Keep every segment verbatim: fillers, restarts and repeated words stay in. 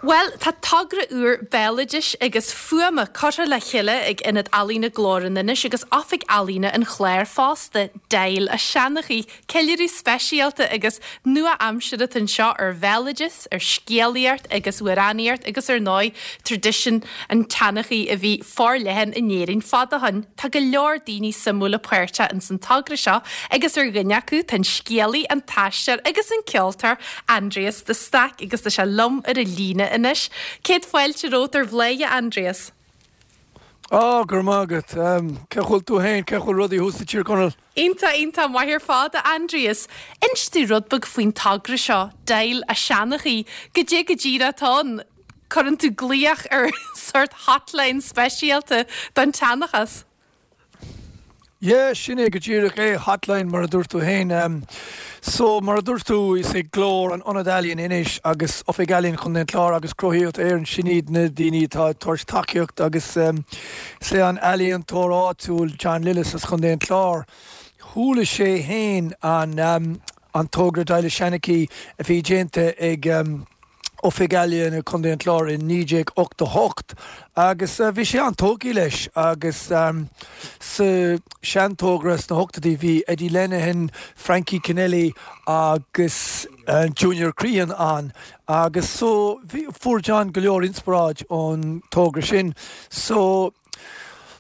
Bhuel, tá togra úr béaloidis agus fuaime curtha le chéile ag Ionad Ealaíne Glór in Inis agus Oifig Ealaíne an Chláir fosta, Deighil a' Seanchaí, ceiliúradh speisialta agus nua-aimseartha anseo ar bhéaloideas, ar scéalaíocht agus amhránaíocht agus ar ndóigh traidisiún an tseanchaí a bhí forleathan in Éirinn fada ó shin. Tá go leor daoine suimiúla páirteach ins an togra seo agus ar dhuine acu tá an scéalaí, an t-aisteoir agus an ceoltóir Aindrias de Staic agus tá sé liom ar an líne anois. Céad fáilte romhat ar Bhladhaire, Aindrias. Á go raibh maith agat cén chaoi a bhfuil tú féin cén chaoi a bhfuil rudaí thuas i Tír Chonaill. Iontach iontach maith ar fad Aindrias. Inis domh rud beag faoin togra seo, Deighil a' Seanchaí, goidé go díreach atá ann, cuireann tú glaoch ar sort hotline speisialta don tseanchas. Yeah, sin é go díreach é hotline mar a dúirt tú féin. Um, so mar a dúirt tú is é Glór an Ionad Ealaíon Inis agus Oifig Ealaíon Chontae an Chláir agus Cruthaíocht Éireann sin iad na daoine atá ag tabhairt tacaíocht agus um, is é an ealaíontóir áitiúil John Lillis as Chontae an Chláir. Chuala sé féin an um, an togra Deighil a' Seanchaí a bhí déanta ag um, Oifig Ealaíon Chontae an Chláir in naoi déag ochtó hocht agus uh, bhí sé an-tógtha leis agus um, sa seantogra sna hochtóidí bhí Eddie Lenihan, Frankie Kennelly agus uh, Junior Crehan ann agus so bhí fuair John go leor inspioráid ón togra sin so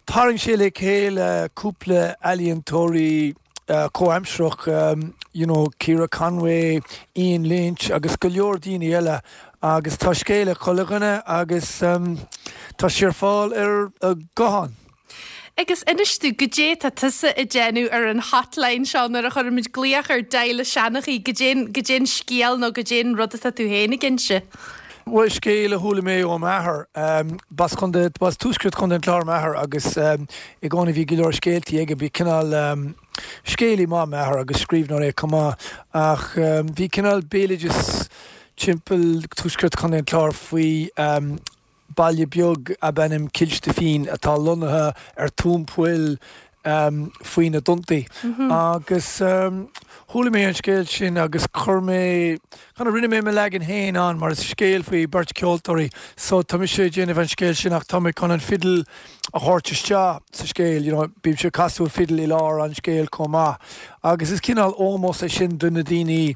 tharraing sé le chéile cúpla ealaíontóirí uh, comhaimsearach um, you know, Ciara Conway, Ian Lynch agus go leor daoine eile agus tá scéal ag chuile dhuine agus um, tá sé ar fáil ar uh, guthán. Agus inis domh goidé tá tusa ag déanamh ar an hotline seo nuair a chuirimid glaoch ar Deighil a' Seanchaí goidé goidé an scéal nó goidé an rud atá tú féin ag inse. Well scéal a chuala mé ó m'athair um, b'as b'as tuaisceart Chontae an Chláir m'athair agus um, i gcónaí bhí go leor scéaltaí aige bhí cineál um, scéalaí maith m'athair agus scríbhneoir é chomh maith ach um, bhí cineál béaloideas timpeall tuaisceart Chontae an Chláir faoi um, baile beag ab ainm Cill Stifín atá lonnaithe ar tóin poill um, faoi na dtonntaí. Mm -hmm. Agus um, chuala mé an scéal sin agus chuir mé chun rinne mé mo leagan féin ann mar is scéal faoi beirt ceoltóirí, so tá sé déanamh an scéal sin ach tá mé chun an fidil a thabhairt isteach sa scéal, you know, bím ag casadh fidil i lár an scéil chomh maith. Agus is cineál ómós é sin do na daoine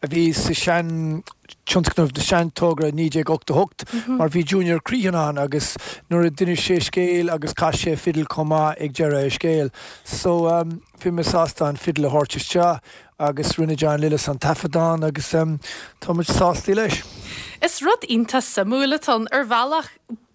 a bhí sa sean tionscnamh de seantogra naoi déag ochtó hocht mm -hmm. mar bhí Junior Crehan ann agus nuair a d'inis sé scéal agus chas sé fidil chomh maith ag deireadh a scéil. So um, bhí mé sásta an fidil a thabhairt isteach agus rinne John Lillis an taifeadán agus um, tá muid sásta leis. Is rud iontach suimiúil atá ann ar bhealach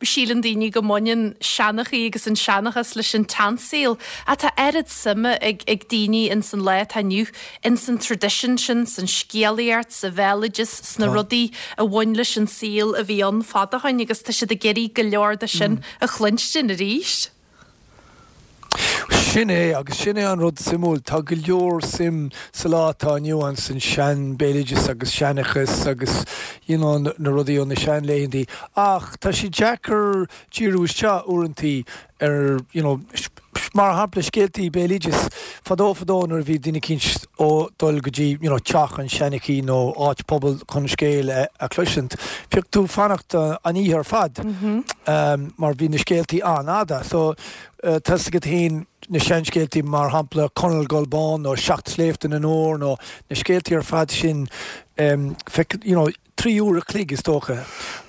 síleann daoine go mbaineann seanchaí agus an seanchas leis an tseansaol ach tá oiread suime ag ag daoine in san lá atá inniu in san traidisiún sin san scéalaíocht sa bhéaloideas sna rudaí a bhain leis an saol a bhí ann fada ó shin agus tá siad ag iarraidh go leor de sin mm. a chluinstin arís. Sin é agus sin é an rud suimiúil tá go leor suim sa lá atá inniu ann san sean béaloideas agus seanchas agus you know, na rudaí ó na seanlaethanta ach tá sé deacair díriú isteach uaireanta ar you know, mar shampla scéaltaí béaloideas fadó fadó nuair bhí duine éicint ag dul go dtí you know, teach an seanchaí nó áit pobail chun scéal a, a chloisint. Bhíodh tú fanacht uh, an oíche ar fad mm -hmm. um, mar bhí na scéaltaí an-fhada, so uh, tá agat féin na seanscéaltaí mar shampla Conall Gulbán nó Seacht Sléibhte na nÓr nó na scéaltaí ar fad sin um, feic, you know, trí uair a chloig is dócha.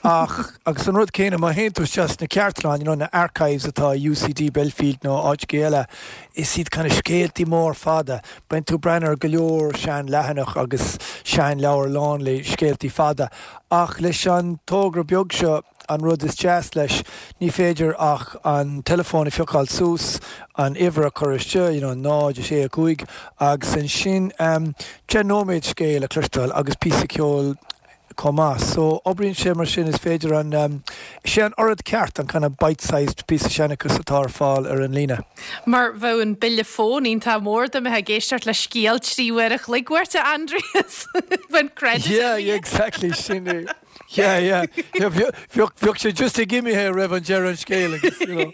Ach agus an rud céanna má théann tú isteach na cartlann you know, na archives atá UCD Belfield nó áit eile is iad kind of scéaltaí mór fada. Bíonn tú breathnú ar go leor sean leathanach agus sean leabhar lán le scéaltaí fada. Ach leis an togra beag seo an rud is deas leis ní féidir ach an telefón a phiocáil suas an uimhir a chur isteach you know, náid a sé a cúig agus ansin um, deich nóiméad scéal a chloisteáil agus píosa ceoil chomh maith. So oibríonn sé mar sin is féidir an um, sé an rud ceart an kind of bite-sized píosa seanchas atá ar fáil ar an líne. Mar bheadh an bille fóin iontach mór dá mbeifeá ag éisteacht le scéal trí uair a chloig uait Aindrias Bhain credit Yeah, yeah, exactly sin é. Yeah, yeah. Yeah, bheadh bheadh sé just ag imithe roimh an deireadh an scéil agus, you know,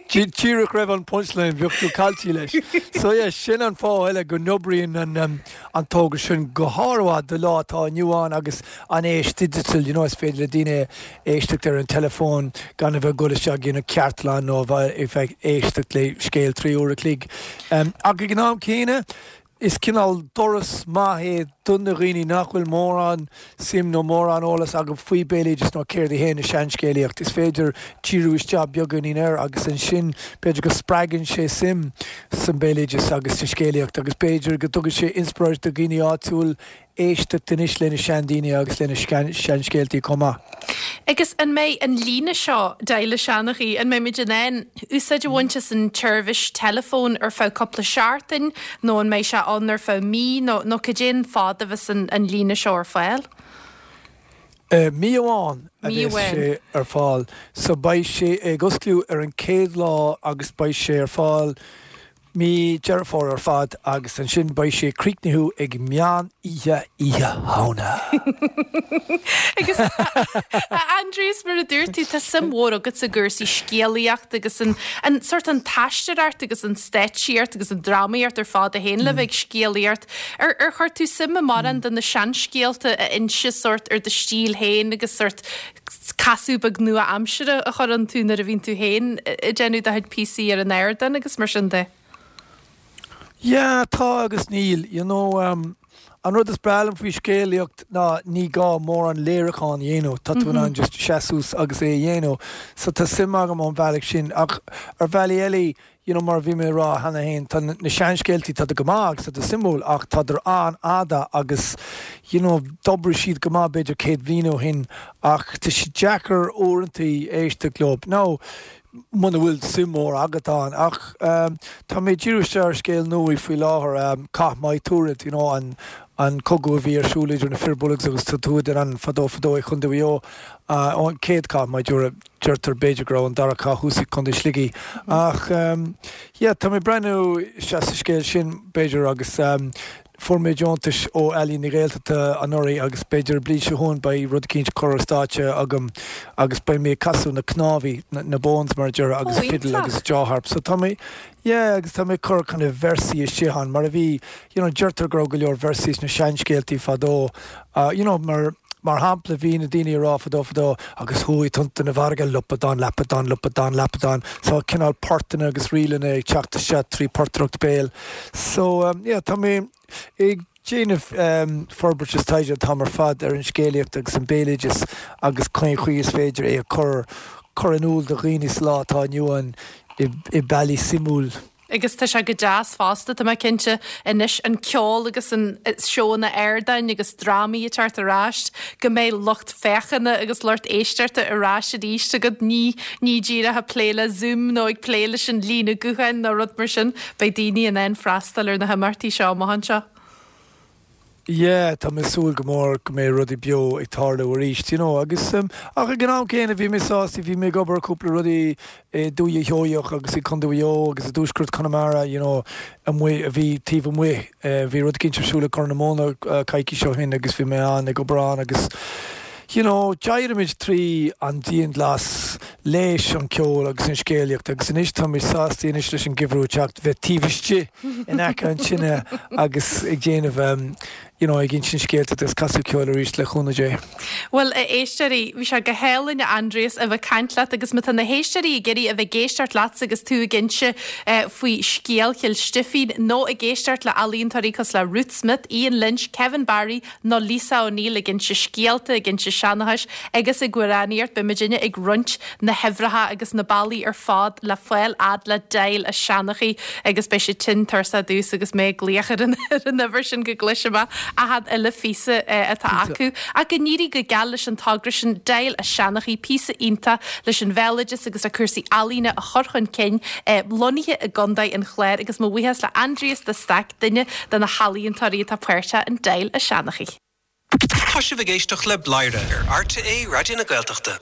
díreach roimh an punchline bheadh tú caillte leis. So yeah, sin an fáth eile go n-oibríonn an um, an togra sin go hardmhaith do lá atá inniu ann agus an aois digital, you know, is féidir le daoine éisteacht ar an telefón gan a bheith gul isteach ina cartlann nó bheith ag éisteacht le scéal trí uair a chloig. Um, ach ag an am céanna, is cineál doras maith é do na dhaoine nach bhfuil mórán suim nó mórán eolas acu faoi béaloideas nó céard é an seanscéalaíocht. Is féidir díriú isteach beagáinín air agus ansin b'fhéidir go spreagann sé suim san béaloideas agus sa scéalaíocht agus b'fhéidir go dtugann sé inspioráid do dhaoine áitiúil éisteacht anois lena seandaoine agus lena seanscéaltaí chomh maith. Agus an mbeidh an líne seo Deighil an Seanchaí, an mbeidh muid in ann úsáid a bhaint as an tseirbhís teileafóin ar feadh cúpla seachtain nó an mbeidh sé ann ar feadh mí nó nó cad é an fad a bheas an, an líne seo ar fáil? Uh, mí amháin a Mí bheas amháin. sé ar fáil, so beidh sé ag oscailt ar an chéad lá agus beidh sé ar fáil mí Deireadh Fómhair ar fad agus ansin beidh sé críochnaithe ag meán oíche Oíche Shamhna. Agus a Aindrias mar a dúirt tú tá suim mhór agat sa gcúrsaí scéalaíocht agus an, an sort an t-aisteoireacht agus an stáitsíocht agus an drámaíocht ar fad a théann le bheith ag scéalaíocht. Ar ar chuir tú suim i mórán de na seanscéalta a inse sort ar do stíl féin agus sort casadh beag nua-aimseartha a chur iontu nuair a bhíonn tú féin ag déanamh do chuid píosaí ar an ardán agus mar sin de. Yeah, tá agus níl, you know, um, an rud is breá liom faoi scéalaíocht ná ní gá mórán léiriúchán a dhéanamh, Tá tú in ann just seasamh agus é a dhéanamh, so tá suim agam an bhealach sin ach ar bhealaí eile, you know, mar bhí mé rá cheana féin tá na seanscéaltaí tá go maith agus tá suimiúil ach tá an-fhada agus you know, d'oibrigh siad go maith b'fhéidir céad bliain ó shin ach tá sé deacair uaireanta éisteacht leo. Now, muna bhfuil suim mór agat ann ach um, tá mé díreach ar scéal nua faoi láthair um, Cath Maigh Tuathail, you know, an an cogadh a bhí ar siúl idir na Fir Bolg agus na Tuatha Dé Danann fadó fadó i Contae Mhaigh Eo uh, an chéad Cath Maigh Tuathail deirtear b'fhéidir go raibh an dara cath thuas i Contae Shligigh ach um, yeah, tá mé breathnú sa scéal sin b'fhéidir agus um, fuair mé deontas ó Ealaín na Gaeltachta anuraidh agus b'fhéidir bliain seo chugainn beidh rud éicint curtha ar stáitse agam agus beidh mé ag casadh na cnámha na, na bones mar deir agus Ó, fiddle iontach. agus jaw harp so tá mé yeah, agus tá mé cur kind of véarsaí isteach ann mar a bhí you know, deirtear go raibh go leor véarsaí na seanscéaltaí fadó uh, you know, mar mar shampla bhí na daoine rá fadó fadó agus chuaigh tonnta na farraige lupadán lapadán lupadán lapadán so cineál portanna agus ríleanna ag teacht isteach trí portaireacht béil so um, yeah, tá mé ag déanamh um, forbairt is taighde tá ar fad ar an scéalaíocht agus an béaloideas agus cén chaoi is féidir é a chur chur in iúl do dhaoine sa lá atá inniu ann i, i mbealaí suimiúil. Agus tá sé go deas fosta tá mé cinnte anois an ceol agus an seónna ardáin agus drámaí ag teacht ar ais go mbeidh lucht féachana agus lucht éisteachta ar ais arís agat ní ní díreach ag plé le Zoom nó ag plé leis an líne gutháin nó rud mar sin beidh daoine in ann freastal ar na himeachtaí seo amach anseo. Yeah, tá mé súil go mór go mbeidh rudaí beo ag tarlú arís, you know, agus um, ach ag an am céanna bhí mé sásta bhí mé ag obair cúpla rudaí i Dúiche Sheoigheach agus i Contae Mhaigh Eo agus i dtuaisceart Chonamara, you know, amuigh a bhí taobh amuigh uh, bhí rud éicint ar siúl i Corr na Móna uh, coicís ó shin agus bhí mé an ag obair ann agus you know, d'éiríomar trí an dianghlas leis an ceol agus an scéalaíocht agus anois tá mé sásta anois leis an geimhreadh teacht bheith taobh istigh in aice an tine agus ag déanamh um, you know, ag insint scéalta agus casadh ceol arís le cúnamh Dé. Well a éisteoirí bhí sé go hálainn Aindrias a bheith ag caint leat agus má tá na héisteoirí ag iarraidh a bheith ag éisteacht leat agus tú ag inse eh, faoi scéal Chill Stifín nó ag éisteacht le ealaíontóirí cosúil le Ruth Smith, Ian Lynch, Kevin Barry nó Lisa O'Neill ag inse scéalta ag inse seanchais agus ag amhránaíocht beimidne ag roinnt na huimhreacha agus na bealaí ar fad le fáil fhad le Deighil an Seanchaí agus beidh sé tinn tuirseach dús agus mé ag glaoch ar an ar an uimhir sin go gcloisfidh mé achan uile phíosa eh, atá acu ach go n-éirí go geal leis an togra sin Deighil an Seanchaí píosa iontach leis an bhéaloideas agus a cúrsaí ealaíne a chur chun cinn eh, lonnaithe i gContae an Chláir agus mo bhuíochas le Aindrias de Staic duine de na healaíontóirí atá páirteach in Deighil an Seanchaí. Tá sibh ag éisteacht le Bladhaire ar RTÉ Raidió na Gaeltachta.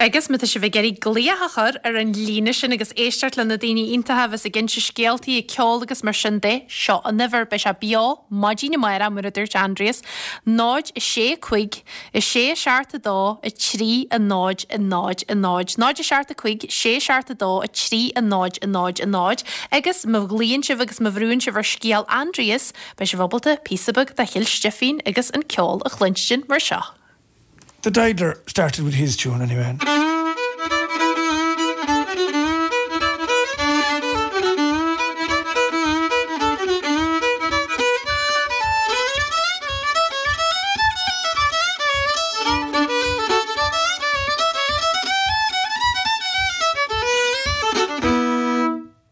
Agus má tá sibh ag iarraidh glaoch a chur ar an líne sin agus éisteacht le na daoine iontacha a bheas ag inse scéaltaí ag ceol agus mar sin de, seo an uimhir, beidh sé beo maidin amárach mar a dúirt Aindrias, náid a sé cúig, a sé a seacht a dó, a trí a náid a náid a náid, náid a seacht a cúig, sé seacht a dó, a trí a náid a náid a náid, agus má ghlaonn sibh agus má bhrúnn sibh ar scéal Aindrias, beidh sibh ábalta píosa beag de Chill Stifín agus an ceol a chluinstin mar seo. The Idler started with his tune anyway.